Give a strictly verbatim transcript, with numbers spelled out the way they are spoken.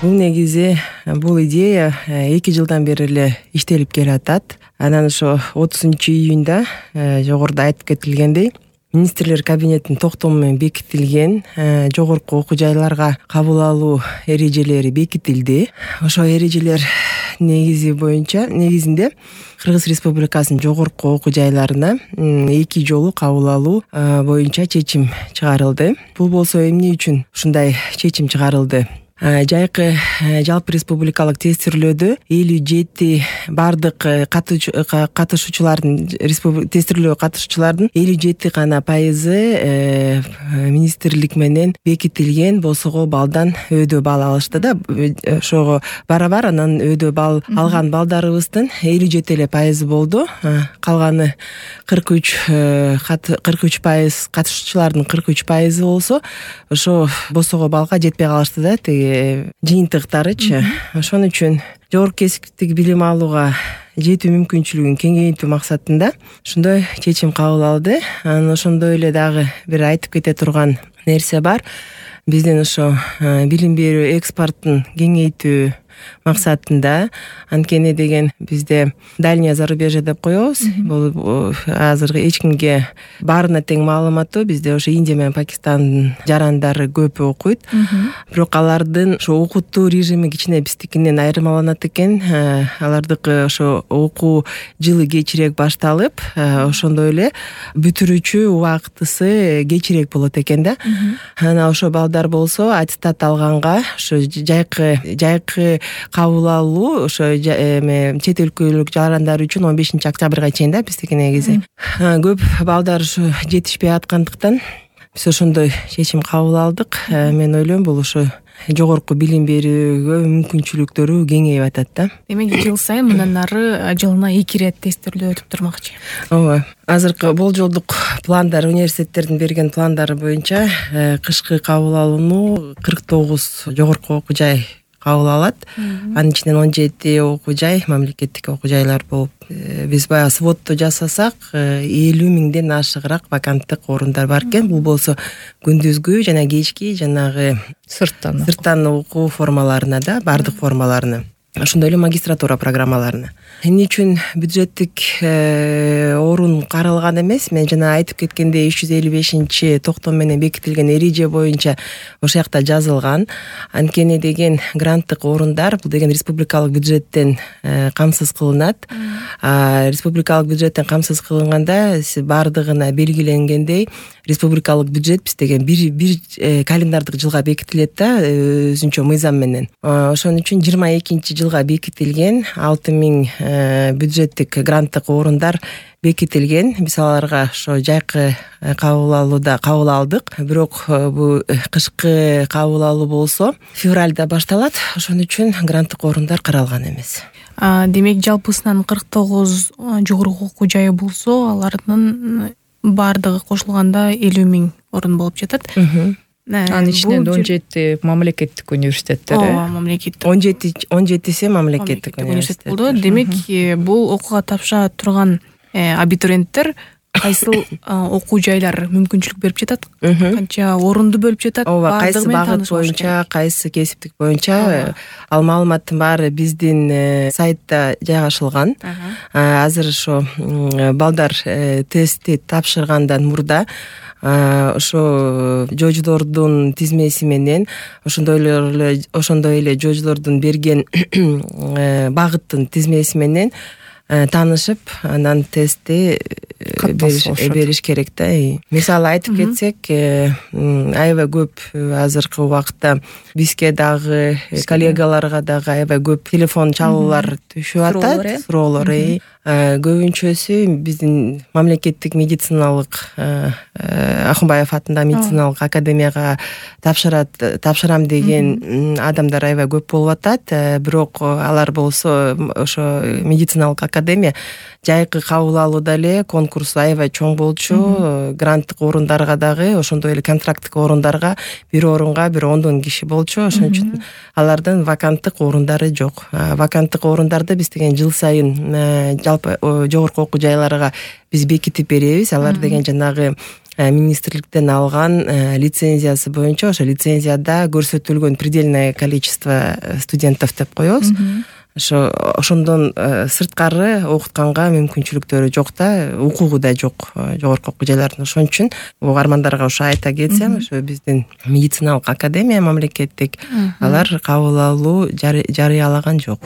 Бул негизи бул идея эки жылдан бери эле иштелип келатат. Анан ошо отузунчу июнда жогоруда айтып кетилгендей министрлер кабинетинин токтому менен бекитилген жогорку окуу жайларга кабыл алуу эрежелери бекитилди. Ошо эрежелер негизи боюнча негизинде Кыргыз Республикасынын жогорку окуу жайларына эки жолу кабыл алуу боюнча чечим чыгарылды. Бул болсо эмне үчүн ушундай чечим чыгарылды? Жайкы жалпы республикалык тестирлөөдө элүү жети бардык катышуучулардын тестирлөөгө катышуучулардын элүү жети гана пайызы министрлик менен бекитилген босого балдан өйдө бал алышты да. Ошого барабар анан өйдө бал алган балдарыбыздын элүү жети эле пайызы болду. Калганы кырк үч кырк үч пайыз катышуучулардын кырк үч пайызы болсо ошо босого балга жетпей калышты да. Жыйынтыктарычы. Ошон үчүн жогорку кесиптик билим алууга жетүү мүмкүнчүлүгүн кеңейтүү максатында ушундай чечим кабыл алды. Анан ошондой эле дагы бир айтып кете турган нерсе бар. Биздин ошо билим берүү экспортун кеңейтүү максатында, анткени деген бизде дальнее зарубежье деп коебуз. Бул азыркы эч кимге баарына тең маалыматтуу. Бизде ошо Индия менен Пакистандын жарандары көп окуйт. Бирок алардын ошо окутуу режими кичине биздикинен айырмаланат экен. Алардыкы ошо окуу жылы кечирээк башталып, ошондой эле бүтүрүүчү убактысы кечирээк болот экен да. Анан ошо балдар болсо аттестат алганга ошо жайкы жайкы кабыл алуу ошо чет өлкөлүк жарандар үчүн он бешинчи октябрга чейин да биздики негизи. Көп балдар ушу жетишпей аткандыктан биз ошондой чечим кабыл алдык. Мен ойлойм бул ошо жогорку билим берүүгө мүмкүнчүлүктөрү кеңейип атат да. Демек жыл сайын мындан ары жылына эки ирет тестирлөө өтүп турмакчы. Ооба. Азыркы болжолдук пландар, университеттердин берген пландары боюнча кышкы кабыл алууну кырк тогуз жогорку окуу жай кабыл алат. Анын ичинен он жети окуу жай мамлекеттик окуу жайлар болуп, биз баягы сводду жасасак элүү миңден ашыгыраак ваканттык орундар бар экен. Бул болсо күндүзгү жана кечки жанагы сырттан сырттан окуу формаларына да, бардык формаларына. Ошондой эле магистратура программаларына. Эмне үчүн бюджеттик орун каралган эмес? Мен жана айтып кеткендей үч жүз элүү бешинчи токтом менен бекитилген эреже боюнча ошол жакта жазылган. Анткени деген гранттык орундар бул деген республикалык бюджеттен камсыз кылынат. Республикалык бюджеттен камсыз кылынганда бардыгына белгиленгендей республикалык бюджет биз деген бир бир календардык жылга бекитилет да, өзүнчө мыйзам менен. Ошон үчүн жыйырма экинчи жылга бекитилген алты миң бюджеттик гранттык орундар бекитилген. Биз аларга ошо жайкы кабыл алууда кабыл алдык. Бирок бул кышкы кабыл алуу болсо февралда башталат. Ошон үчүн гранттык орундар каралган эмес. Демек жалпысынан кырк тогуз жогорку окуу жайы болсо, алардын бардыгы кошулганда элүү миң орун болуп жатат. Анын ичинен он жети мамлекеттик университеттер. Ооба, мамлекеттик. он жети он жетиси мамлекеттик университет болду. Демек бул окууга тапшыра турган абитуриенттер кайсыл окуу жайлар мүмкүнчүлүк берип жатат? Канча орунду бөлүп жатат? Ооба, кайсы багыт боюнча, кайсы кесиптик боюнча ал маалыматтын баары биздин сайтта жайгашылган. Азыр ошо балдар тестти тапшыргандан мурда ошо жождордун тизмеси менен ошондой эле ошондой эле жождордун берген багыттын тизмеси менен таанышып, анан тестти бериш керек да. Мисалы айтып кетсек, аябай көп азыркы убакытта бизге дагы, коллегаларга дагы аябай көп телефон чалуулар түшүп атат, суроолор. Көбүнчөсү биздин мамлекеттик медициналык Акунбаев атындагы медициналык академияга тапшырат тапшырам деген адамдар аябай көп болуп атат. Бирок алар болсо ошо медициналык академия жайкы кабыл алууда эле конкурс аябай чоң болчу. Гранттык орундарга дагы, ошондой эле контракттык орундарга бир орунга бир ондон киши болчу. Ошон үчүн алардын ваканттык орундары жок. Ваканттык орундарды биз деген жыл сайын жалпы жогорку окуу жайларга биз бекитип беребиз. Алар деген жанагы министрликтен алган лицензиясы боюнча ошо лицензияда көрсөтүлгөн предельное количество студентов деп коебуз. Ошо ошондон сырткары окутканга мүмкүнчүлүктөрү жок да, укугу да жок жогорку окуу жайлардын. Ошон үчүн угармандарга ошо айта кетсем, ошо биздин медициналык академия мамлекеттик алар кабыл алуу жарыялаган жок.